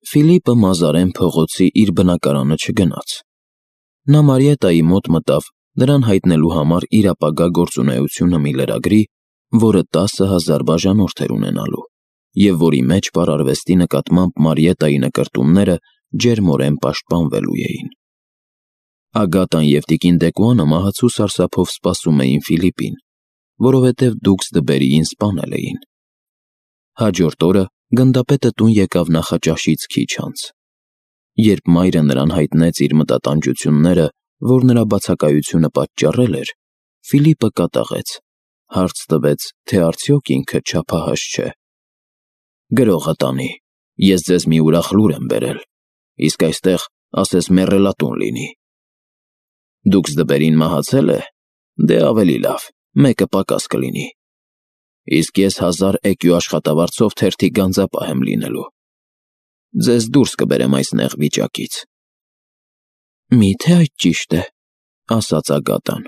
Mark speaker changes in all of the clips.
Speaker 1: Ֆիլիպը մազարեն փողոցի իր բնակարանը չգնաց։ Նա Մարիետայի մոտ մտավ նրան հայտնելու համար իր ապագա գործունեությունը մի լրագրի, որը 10,000 բաժանորդ էր ունենալու, և որի մեջ պարարվեստի նկատմամբ Մարիետայի նկրտումները ջերմորեն պաշտպանվելու էին։ Ագատան և տիկին Դեկուանը մահացու սարսափով սպասում էին Ֆիլիպին, որովհետև դուքս Դբերիին սպանել էին։ Հաջորդ օրը գնդապետը տուն եկավ նախաճաշից քիչ անց։ Երբ մայրը նրան հայտնեց իր մտատանջությունները, որ նրա բացակայությունը պատճառել էր, Ֆիլիպը կատաղեց, հարց տվեց, թե արդյոք ինքը չափահաս չէ։ «Գրողը տանի, ես ձեզ մի ուրախ լուր եմ բերել, իսկ այստեղ ասես մեռելատուն լինի»։ «Դուքս Դբերին մահացել է, դե ավելի լավ, մեկը պակաս կլինի, իսկ ես 1000 էկյու աշխատավարձով թերթի գանձապահ եմ լինելու, ձեզ դուրս կբերեմ այս նեղ վիճակից»։ «Մի՞թե այդ ճիշտ է», ասաց Ագատան։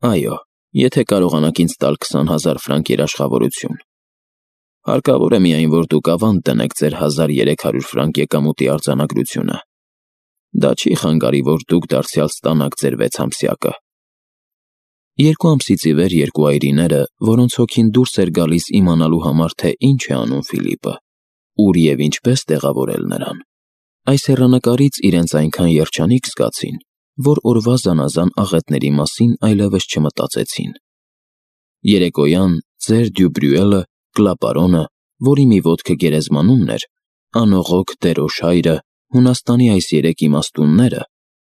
Speaker 1: «Այո, եթե կարողանաք ինձ տալ 20,000 ֆրանկ երաշխավորություն։ Հարկավոր է միայն, որ դուք ավանդ դնեք ձեր 1300 ֆրանկ եկամուտի արձանագրությունը։ Դա չի խանգարի, որ դուք դարձյալ ստանաք ձեր 6 ամսյակը»։ 2 ամսից ի վեր երկու այրիները, որոնց հոգին դուրս էր գալիս իմանալու համար, թե ինչ է անում Ֆիլիպը, ուր և ինչպես տեղավորել նրան, այս հեռանկարից իրենց այնքան երջանիկ զգացին, որ օրվա զանազան աղետների մասին այլևս չմտածեցին։ Երեկոյան ծեր Դյուբրյուելը, կլապարոնը, որի մի ոտքը գերեզմանումն էր, անողոք Դերոշ հայրը, Հունաստանի այս 3 իմաստունները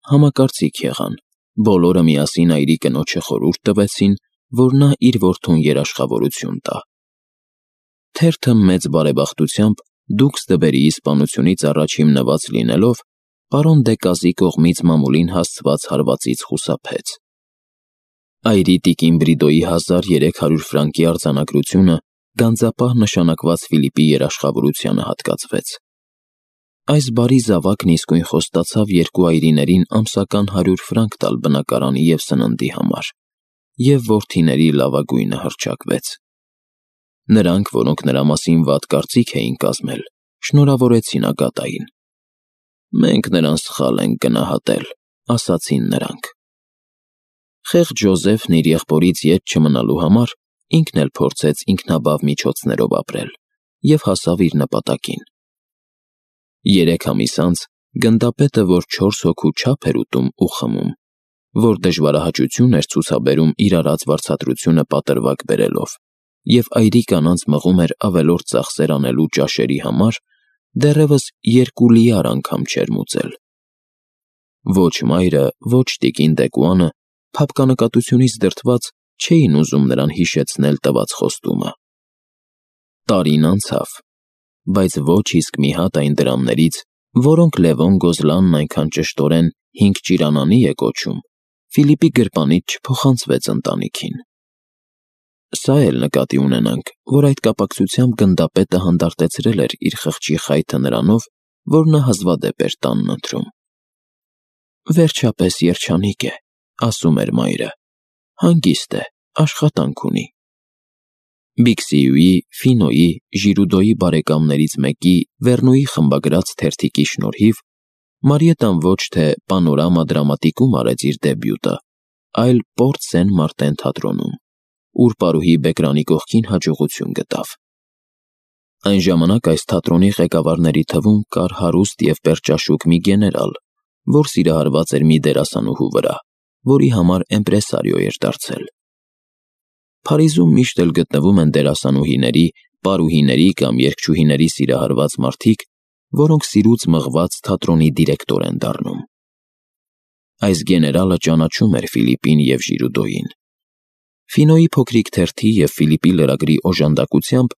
Speaker 1: համակարծիք եղան, բոլորը միասին այրի կնոջը խորհուրդ տվեցին, որ նա իր որդուն երաշխավորություն տա։ Թերթը մեծ բարեբախտությամբ դուքս Դբերիի սպանությունից առաջ հիմնված լինելով, պարոն Դեկազի կողմից մամուլին հասցված հարվածից խուսափեց։ Այրի տիկին Բրիդոյի 1300 ֆրանկի արձանագրությունը գանձապահ նշանակված Ֆիլիպի երաշխավորությանը հատկացվեց։ Այս բարի զավակն իսկույն խոստացավ երկու այրիներին ամսական 100 ֆրանկ տալ բնակարանի և սննդի համար, և որդիների լավագույնը հռչակվեց։ Նրանք, որոնք նրա մասին վատ կարծիք էին կազմել, շնորհավորեցին Ագատային։ «Մենք նրան սխալ ենք գնահատել», ասացին նրանք։ Խեղճ Ջոզեֆն իր եղբորից ետ չմնալու համար ինքն էլ փորձեց ինքնաբավ միջոցներով ապրել և հասավ իր նպատակին։ 3 ամիս անց գնդապետը, որ 4 հոգու չափ էր ուտում ու խմում, որ դժվարահաճություն էր ցուցաբերում իր արած վարձատրությունը պատրվակ բերելով, և այրի կանանց մղում էր ավելորդ ծախսեր անելու ճաշերի համար, դեռևս 2 լիար անգամ չէր մուծել։ Ոչ մայրը, ոչ տիկին Դեկուանը փափկանկատությունից դրդված չէին ուզում նրան հիշեցնել տված խոստումը։ Տարին անցավ, բայց ոչ իսկ մի հատ այն դրամներից, որոնք Լևոն Գոզլանն այնքան ճշտորեն 5 ճիրանանի է կոչում, Ֆիլիպի գրպանից չփոխանցվեց ընտանիքին։ Սա էլ նկատի ունենանք, որ այդ կապակցությամբ գնդապետը հանդարտեցրել էր իր խղճի խայթը նրանով, որ նա հազվադեպ էր տանն ընթրում։ «Վերջապես երջանիկ է», ասում էր մայրը, «հանգիստ է, աշխատանք ունի»։ Բիքսիյուի, Ֆինոյի, Ժիրուդոյի բարեկամներից մեկի Վերնոյի խմբագրած թերթիկի շնորհիվ Մարիետան ոչ թե Պանորամա դրամատիկում արեց իր դեբյուտը, այլ Պորտ Սեն Մարտեն թատրոնում, ուր պարուհի Բեկրանի կողքին հաջողություն գտավ։ Այն ժամանակ այս թատրոնի ղեկավարների թվում կար հարուստ և պերճաշուք մի գեներալ, որ սիրահարված էր մի դերասանուհու վրա, որի համար իմպրեսարիո էր դարձել։ Փարիզում միշտ էլ գտնվում են դերասանուհիների, պարուհիների կամ երգչուհիների սիրահարված մարդիկ, որոնք սիրուց մղված թատրոնի դիրեկտոր են դառնում։ Այս գեներալը ճանաչում էր Ֆիլիպին և Ժիրուդոյին։ Ֆինոյի փոքրիկ թերթի և Ֆիլիպի լրագրի օժանդակությամբ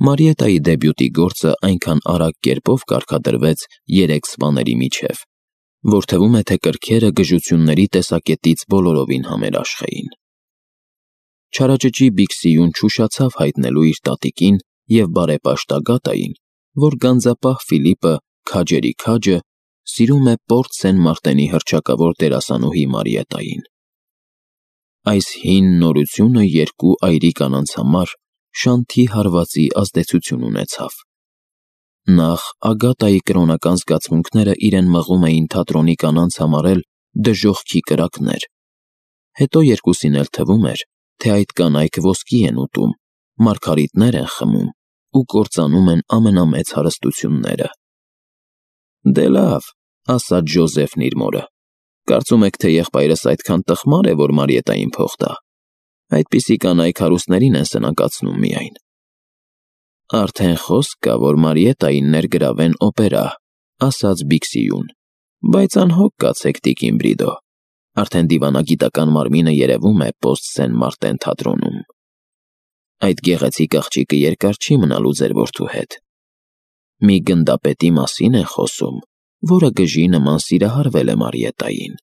Speaker 1: Մարիետայի դեբյուտի գործը այնքան արագ կերպով կարգադրվեց 3 սպաների միջև, որ թվում է, թե կրքերը գժությունների տեսակետից բոլորովին համերաշխ էին։ Չարաճճի Բիքսիյուն չուշացավ հայտնելու իր տատիկին և բարեպաշտ Ագատային, որ գանձապահ Ֆիլիպը, քաջերի քաջը, սիրում է Պորտ Սեն Մարտենի հռչակավոր դերասանուհի Մարիետային։ Այս հին նորությունը երկու այրի կանանց համար շանթի հարվածի ազդեցություն ունեցավ։ Նախ Ագատայի կրոնական զգացմունքները իրեն մղում էին թատրոնի կանանց համարել դժոխքի կրակներ, հետո երկուսին էլ թվում էր, թե այդ կանայք ոսկի են ուտում, մարգարիտներ են խմում ու կործանում են ամենամեծ հարստությունները։ «Դե լավ», ասաց Ջոզեֆն իր մորը, «կարծում եք, թե եղբայրս այդքան տխմար է, որ Մարիետային փող տա։ Այդպիսի կանայք հարուստներին են սնանկացնում միայն»։ «Արդեն խոսք կա, որ Մարիետային ներգրավեն օպերա», ասաց Բիքսիուն, «բայց անհոգ կացեք, տիկին Բրիդո, արդեն դիվանագիտական մարմինը երևում է Պոստ Սեն Մարտեն թատրոնում։ Այդ գեղեցիկ աղջիկը երկար չի մնալու ձեր որդու հետ։ Մի գնդապետի մասին են խոսում, որը գժի նման սիրահարվել է Մարիետային։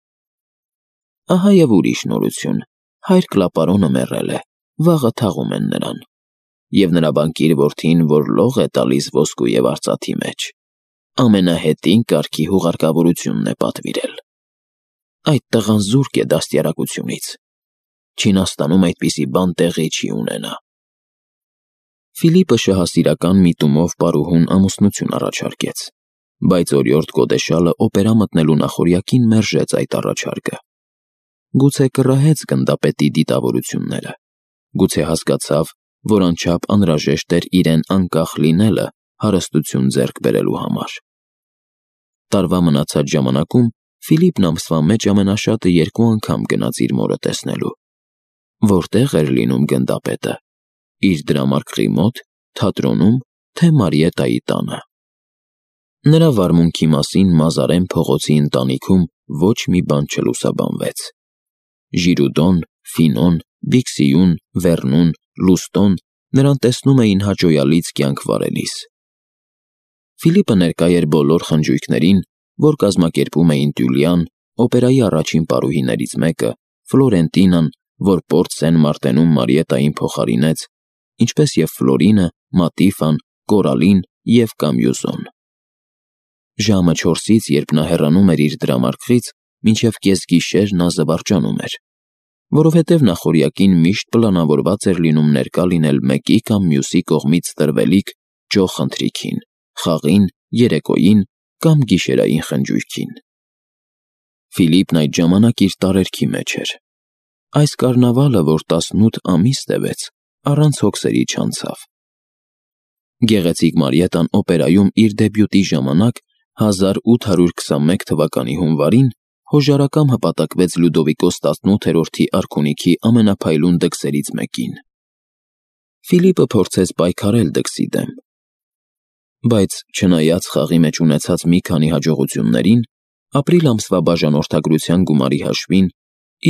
Speaker 1: Ահա և ուրիշ նորություն, հայր Կլապարոնը մեռել է, վաղը թաղում են նրան, և նրա բանկիր որդին, որ լող է տալիս ոսկու և արծաթի մեջ, ամենահետին կարգի հուղարկավորությունն է պատվիրել։ Այդ տղան զուրկ է դաստիարակությունից։ Չինաստանում այդպիսի բան տեղի չի ունենա»։ Ֆիլիպը շահասիրական միտումով պարուհուն ամուսնություն առաջարկեց, բայց օրիորդ գոդեշալը օպերա մտնելու նախօրյակին մերժեց այդ առաջարկը։ Գուցե կռահեց գնդապետի դիտավորությունները, գուցե հասկացավ, որ անչափ անհրաժեշտ էր իրեն անկախ լինելը հարստություն ձեռք բերելու համար։ Տարվա մնացած ժամանակում Ֆիլիպն ամսվա մեջ ամենաշատը 2 անգամ գնաց իր մորը տեսնելու։ Որտեղ էր լինում գնդապետը՝ իր դրամարկղի մոտ, թատրոնում, թե Մարիետայի տանը։ Նրա վարմունքի մասին Մազարեն փողոցի ընտանիքում ոչ մի բան չլուսաբանվեց։ Ժիրուդոն, Ֆինոն, Բիքսիուն, Վերնուն, Լուստոն նրան տեսնում էին հաճոյալից կյանք վարելիս։ Ֆիլիպը ներկա էր բոլոր խնջույքներին, որ կազմակերպում էին Տյուլիան, օպերայի առաջին պարուհիներից մեկը, Ֆլորենտինան, որ Պորտ Սեն Մարտենում Մարիետային փոխարինեց, ինչպես և Ֆլորինը, Մատիֆան, Կորալին և Կամյուզոն։ Ժամը 4-ից, երբ նա հեռանում էր իր դրամարկղից, մինչև կեսգիշեր նա զվարճանում էր, որովհետև նախօրյակին միշտ պլանավորված էր լինում ներկա լինել մեկի կամ մյուսի կողմից տրվելիք ջոխ ընթրիքին, խաղին, երեկոյին կամ գիշերային խնջույքին։ Ֆիլիպն այդ ժամանակ իր տարերքի մեջ էր։ Այս կարնավալը, որ 18 ամիս տևեց, առանց հոգսերի չանցավ։ Գեղեցիկ Մարիետան օպերայում իր դեբյուտի ժամանակ 1821 թվականի հունվարին հոժարակամ հպատակվեց Լյուդովիկոս 18-րդի արքունիքի ամենափայլուն դքսերից մեկին։ Ֆիլիպը փորձեց պայքարել դքսի դեմ, բայց չնայած խաղի մեջ ունեցած մի քանի հաջողություններին, ապրիլ ամսվա բաժանորդագրության գումարի հաշվին,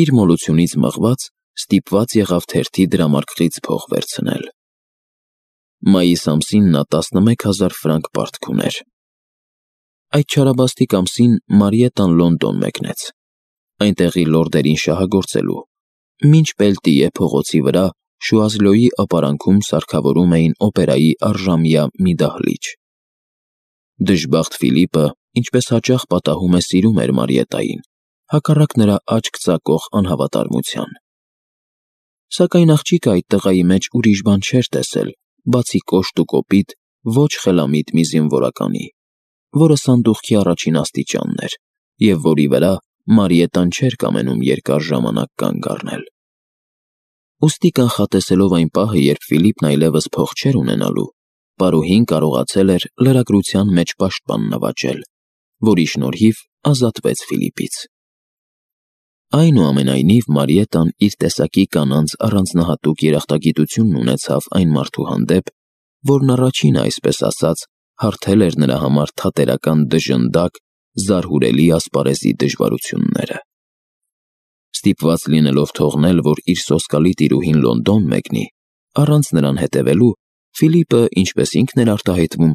Speaker 1: իր մոլությունից մղված ստիպված եղավ թերթի դրամարկղից փող վերցնել։ Մայիս ամսին նա 11,000 ֆրանկ պարտք ուներ։ Այդ չարաբաստիկ ամսին Մարիետան Լոնդոն մեկնեց, այնտեղի լորդերին շահագործելու, մինչ Պելտիե փողոցի վրա Շուազլոյի ապարանքում սարքավորում էին օպերայի առժամյա մի դահլիճ։ Դժբախտ Ֆիլիպը, ինչպես հաճախ պատահում է, սիրում էր Մարիետային, հակառակ նրա աչք ծակող անհավատարմության։ Սակայն աղջիկը այդ տղայի մեջ ուրիշ բան չէր տեսել, բացի կոշտ ու կոպիտ, ոչ խելամիտ մի զինվորականի, որը սանդուղքի առաջին աստիճանն էր, և որի վրա Մարիետան չէր կամենում երկար ժամանակ կանգ առնել։ Ուստի կանխատեսելով այն պահը, երբ Ֆիլիպն այլևս փող չէր ունենալու, պարուհին կարողացել էր լրագրության մեջ պաշտպան նվաճել, որի շնորհիվ ազատվեց Ֆիլիպից։ Այնուամենայնիվ Մարիետան իր տեսակի կանանց առանձնահատուկ երախտագիտությունն ունեցավ այն մարդու հանդեպ, որն առաջինը, այսպես ասած, հարթել էր նրա համար թատերական դժնդակ, զարհուրելի ասպարեզի դժվարությունները։ Ստիպված լինելով թողնել, որ իր սոսկալի տիրուհին Լոնդոն մեկնի, առանց նրան հետևելու, Ֆիլիպը, ինչպես ինքն էր արտահայտվում,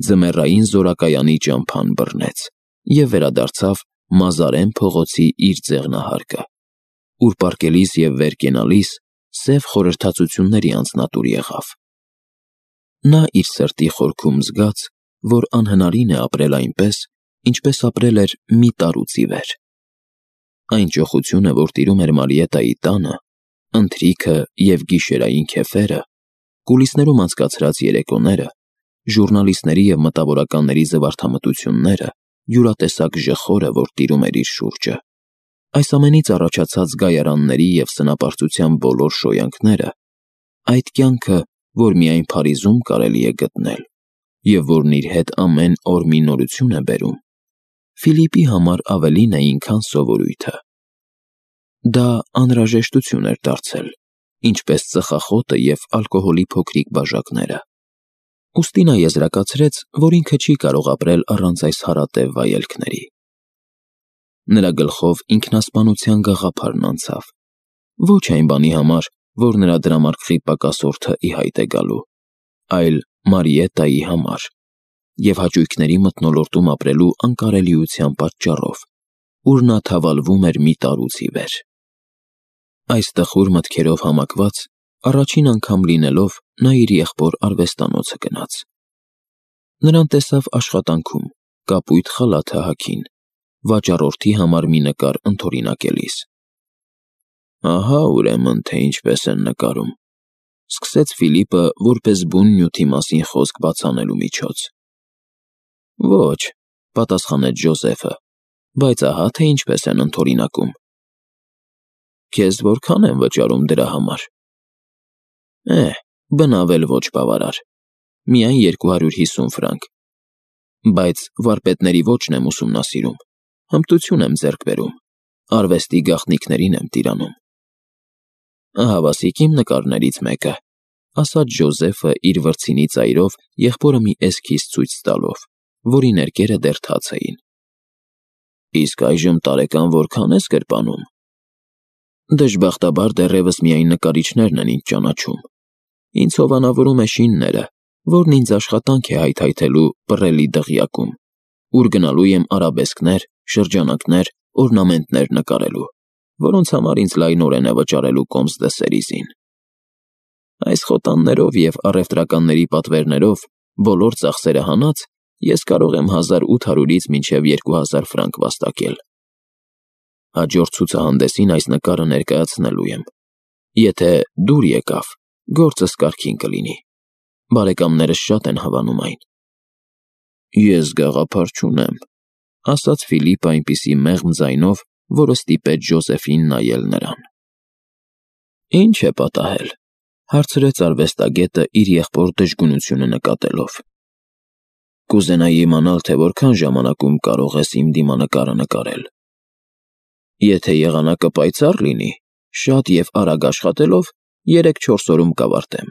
Speaker 1: ձմեռային զորակայանի ճամփան բռնեց և վերադարձավ Մազարեն փողոցի իր ձեղնահարկը, ուր պառկելիս և վեր կենալիս սև խորհրդածությունների անձնատուր եղավ։ Նա իր սրտի խորքում զգաց, որ անհնարին է ապրել այնպես, ինչպես ապրել էր մի տարուց ի վեր։ Այն ճոխությունը, որ տիրում էր Մարիետայի տանը, ընթրիքը և գիշերային քեֆերը, կուլիսներում անցկացրած երեկոները, ժուռնալիստների և մտավորականների զվարթամտությունները, յուրատեսակ ժխորը, որ տիրում էր իր շուրջը, այս ամենից առաջացած գայարանների և սնապարծության բոլոր շոյանքները, այդ կյանքը, որ միայն Փարիզում կարելի է գտնել, և որն իր հետ ամեն օր մի նորություն է բերում, Ֆիլիպի համար ավելին էին, քան սովորույթը։ Դա անհրաժեշտություն էր դարձել, ինչպես ծխախոտը և ալկոհոլի փոքրիկ բաժակները։ Ուստի նա եզրակացրեց, որ ինքը չի կարող ապրել առանց այս հարատև վայելքների։ Նրա գլխով ինքնասպանության գաղափարն անցավ, ոչ այն բանի համար, որ նրա դրամարկղի պակասորդը ի հայտ է գալու, այլ Մարիետայի համար և հաճույքների մթնոլորտում ապրելու անկարելիության պատճառով, ուր նա թավալվում էր մի տարուց ի վեր։ Այս տխուր մտքերով համակված, առաջին անգամ լինելով, նա իր եղբոր արվեստանոցը գնաց։ Նրան տեսավ աշխատանքում, կապույտ խալաթը հագին, վաճառորդի համար մի նկար ընդօրինակելիս։ «Ահա ուրեմն, թե ինչպես են նկարում», սկսեց Ֆիլիպը որպես բուն նյութի մասին խոսք բացանելու միջոց։ «Ոչ», պատասխանեց Ջոզեֆը, «բայց ահա թե ինչպես են ընդօրինակում»։ «Քեզ որքան են վճարում դրա համար»։ Բնավ էլ ոչ բավարար, միայն 250 ֆրանկ, բայց վարպետների ոճն եմ ուսումնասիրում, հմտություն եմ ձեռք բերում, արվեստի գաղտնիքներին եմ տիրանում։ «Ահավասիկ իմ նկարներից մեկը», ասաց Ջոզեֆը իր վրձինի ծայրով եղբորը մի էսքիզ ցույց տալով, որի ներկերը դեռ թաց էին։ «Իսկ այժմ տարեկան որքան ես գրպանում»։ «Դժբախտաբար դեռևս միայն նկարիչներն են ինձ ճանաչում։ Ինձ հովանավորում է շինները, որն ինձ աշխատանք է հայթայթելու պռելի դղյակում, ուր գնալու եմ արաբեսկներ, շրջանակներ, օրնամենտներ նկարելու, որոնց համար ինձ լայնորեն է վճարելու Կոմս դը Սերիզին։ Այս խոտաններով և առևտրականների պատվերներով բոլոր ծախսերը հանած, ես կարող եմ 1800-ից մինչև 2000 ֆրանկ վաստակել։ Հաջորդ ցուցահանդեսին այս նկարը ներկայացնելու եմ։ Եթե դուր եկավ, գործս կարգին կլինի։ Բարեկամներս շատ են հավանում այն»։ «Ես գաղափար չունեմ», ասաց Ֆիլիպը այնպիսի մեղմ ձայնով, որը ստիպեց Ջոզեֆին նայել նրան։ «Ինչ է պատահել», հարցրեց արվեստագետը իր եղբոր դժգունությունը նկատելով։ «Կուզենայի իմանալ, թե որքան ժամանակում կարող ես իմ դիմանկարը նկարել։ Եթե եղանակը պայծառ լինի, շատ և արագ աշխատելով, 3-4 օրում կավարտեմ։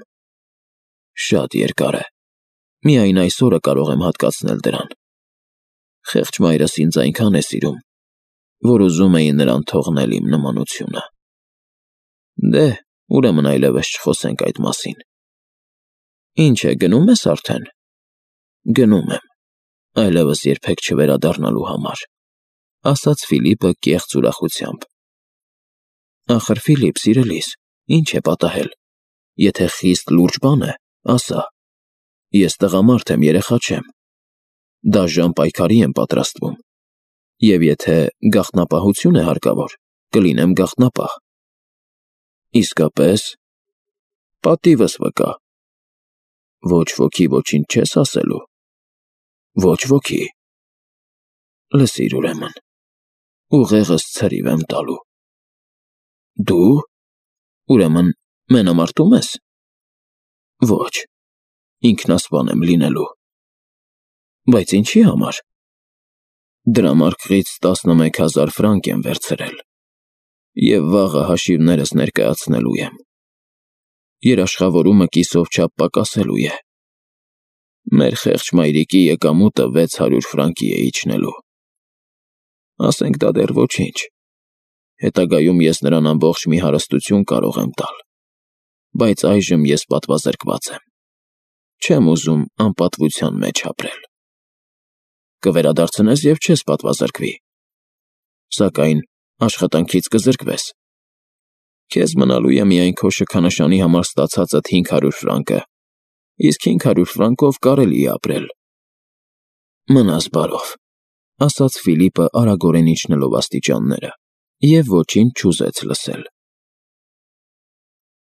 Speaker 1: Շատ երկար է, միայն այս օրը կարող եմ հատկացնել դրան։ Խեղճ մայրս ինձ այնքան է սիրում, որ ուզում էի նրան թողնել իմ նմանությունը։ Դե, ուրեմն այլևս չխոսենք այդ մասին։ Ինչ է, գնում ես արդեն»։ «Գնում եմ, այլևս երբեք չվերադառնալու համար», ասաց Ֆիլիպը կեղծ ուրախությամբ։ «Ախր, Ֆիլիպ, սիրելիս, ինչ է պատահել։ Եթե խիստ լուրջ բան է, ասա։ Ես տղամարդ եմ, երեխա չեմ։ Դաժան պայքարի եմ պատրաստվում, և եթե գաղտնապահություն է հարկավոր, կլինեմ գաղտնապահ»։ «Իսկապես»։ «Պատիվս վկա»։ «Ոչ ոքի ոչինչ չես ասելու»։ «Ոչ ոքի»։ «Լսիր ուրեմն, ուղեղս ցրիվ եմ տալու»։ «Դու, ուրեմն, մենամարտո՞ւմ ես»։ «Ոչ, ինքնասպան եմ լինելու»։ «Բայց ինչի համար»։ «Դրամարկղից 11000 ֆրանկ եմ վերցրել, և վաղը հաշիվներս ներկայացնելու եմ։ Երաշխավորումը կիսով չափ պակասելու է։ Մեր խեղճ մայրիկի եկամուտը 600 ֆրանկի է իջնելու։ Ասենք դա դեռ ոչինչ։ Հետագայում ես նրան ամբողջ մի հարստություն կարող եմ տալ, բայց այժմ ես պատվազրկված եմ։ Չեմ ուզում անպատվության մեջ ապրել։ Կվերադարձնես և չես պատվազրկվի, սակայն աշխատանքից կզրկվես։ Քեզ մնալու է միայն քո շքանշանի համար ստացածդ 500 ֆրանկը, իսկ 500 ֆրանկով կարելի է ապրել»։ «Մնաս բարով», ասաց Ֆիլիպը արագորեն իջնելով աստիճանները, և ոչինչ չուզեց լսել։